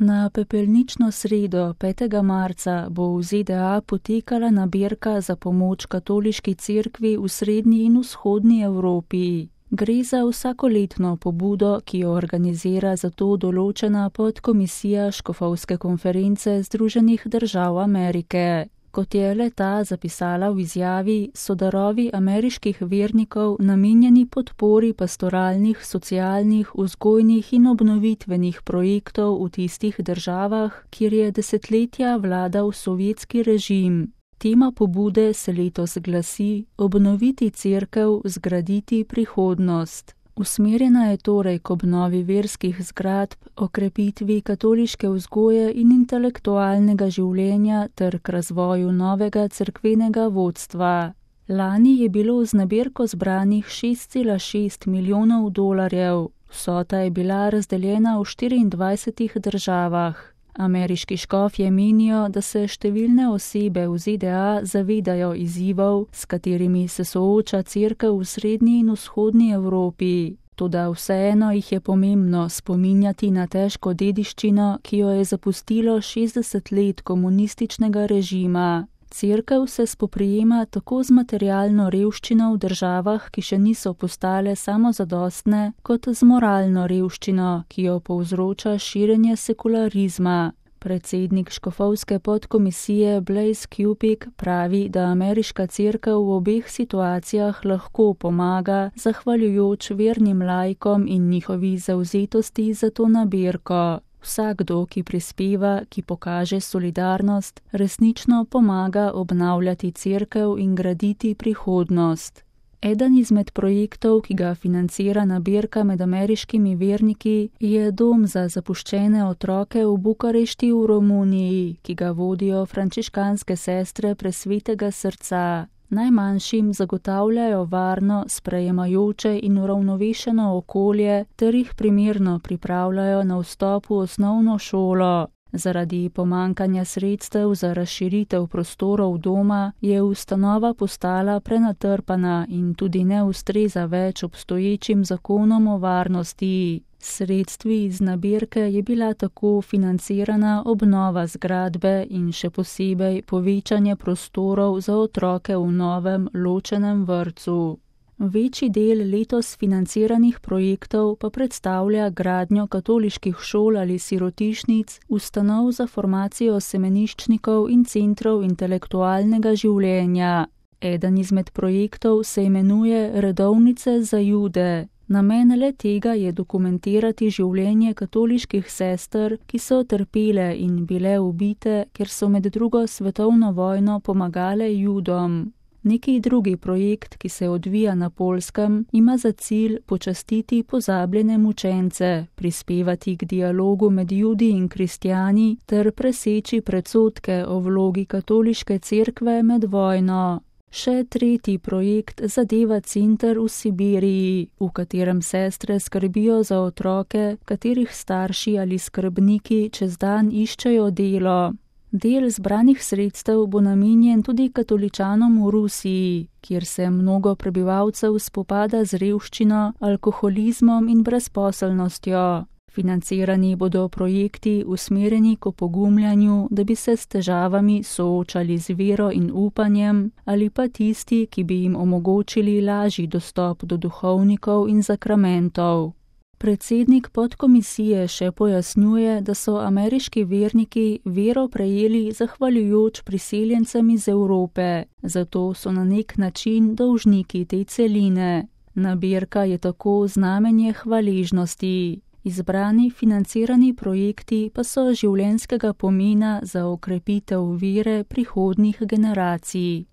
Na pepelnično sredo 5. marca bo v ZDA potekala nabirka za pomoč katoliški cerkvi v srednji in vzhodni Evropi. Gre za vsakoletno pobudo, ki jo organizira za to določena podkomisija Škofovske konference Združenih držav Amerike. Kot je le-ta zapisala v izjavi, so darovi ameriških vernikov namenjeni podpori pastoralnih, socialnih, vzgojnih in obnovitvenih projektov v tistih državah, kjer je desetletja vladal sovjetski režim. Tema pobude se letos glasi: obnoviti cerkev, zgraditi prihodnost. Usmerjena je torej k obnovi verskih zgradb, okrepitvi katoliške vzgoje in intelektualnega življenja ter k razvoju novega cerkvenega vodstva. Lani je bilo z nabirko zbranih 6,6 milijonov dolarjev. Vsota je bila razdeljena v 24 državah. Ameriški škofje menijo, da se številne osebe v ZDA zavedajo izzivov, s katerimi se sooča cerkev v srednji in vzhodni Evropi. Toda vseeno jih je pomembno spominjati na težko dediščino, ki jo je zapustilo 60 let komunističnega režima. Cerkev se spoprijema tako z materialno revščino v državah, ki še niso postale samozadostne, kot z moralno revščino, ki jo povzroča širjenje sekularizma. Predsednik Škofovske podkomisije Blaise Cupik pravi, da ameriška cerkev v obeh situacijah lahko pomaga, zahvaljujoč vernim laikom in njihovi zavzetosti za to nabirko. Vsakdo, ki prispeva, ki pokaže solidarnost, resnično pomaga obnavljati cerkev in graditi prihodnost. Eden izmed projektov, ki ga financira nabirka med ameriškimi verniki, je dom za zapuščene otroke v Bukarešti v Romuniji, ki ga vodijo frančiškanske sestre Presvetega srca. Najmanjšim zagotavljajo varno, sprejemajoče in uravnovešeno okolje ter jih primerno pripravljajo na vstop v osnovno šolo. Zaradi pomankanja sredstev za razširitev prostorov doma je ustanova postala prenatrpana in tudi ne ustreza več obstoječim zakonom o varnosti. Sredstvi iz nabirke je bila tako financirana obnova zgradbe in še posebej povečanje prostorov za otroke v novem ločenem vrtcu. Večji del letos financiranih projektov pa predstavlja gradnjo katoliških šol ali sirotišnic, ustanov za formacijo semeniščnikov in centrov intelektualnega življenja. Eden izmed projektov se imenuje Redovnice za Jude. Namen le tega je dokumentirati življenje katoliških sester, ki so trpele in bile ubite, ker so med drugo svetovno vojno pomagale Judom. Neki drugi projekt, ki se odvija na Poljskem, ima za cilj počastiti pozabljene mučence, prispevati k dialogu med Judi in kristjani ter preseči predsodke o vlogi katoliške cerkve med vojno. Še tretji projekt zadeva center v Sibiriji, v katerem sestre skrbijo za otroke, katerih starši ali skrbniki čez dan iščejo delo. Del zbranih sredstev bo namenjen tudi katoličanom v Rusiji, kjer se mnogo prebivalcev spopada z revščino, alkoholizmom in brezposelnostjo. Financirani bodo projekti usmerjeni k opogumljanju, da bi se s težavami soočali z vero in upanjem, ali pa tisti, ki bi jim omogočili lažji dostop do duhovnikov in sakramentov. Predsednik podkomisije še pojasnjuje, da so ameriški verniki vero prejeli zahvaljujoč priseljencem iz Evrope, zato so na nek način dolžniki te celine. Nabirka je tako znamenje hvaležnosti. Izbrani financirani projekti pa so življenjskega pomena za okrepitev vere prihodnjih generacij.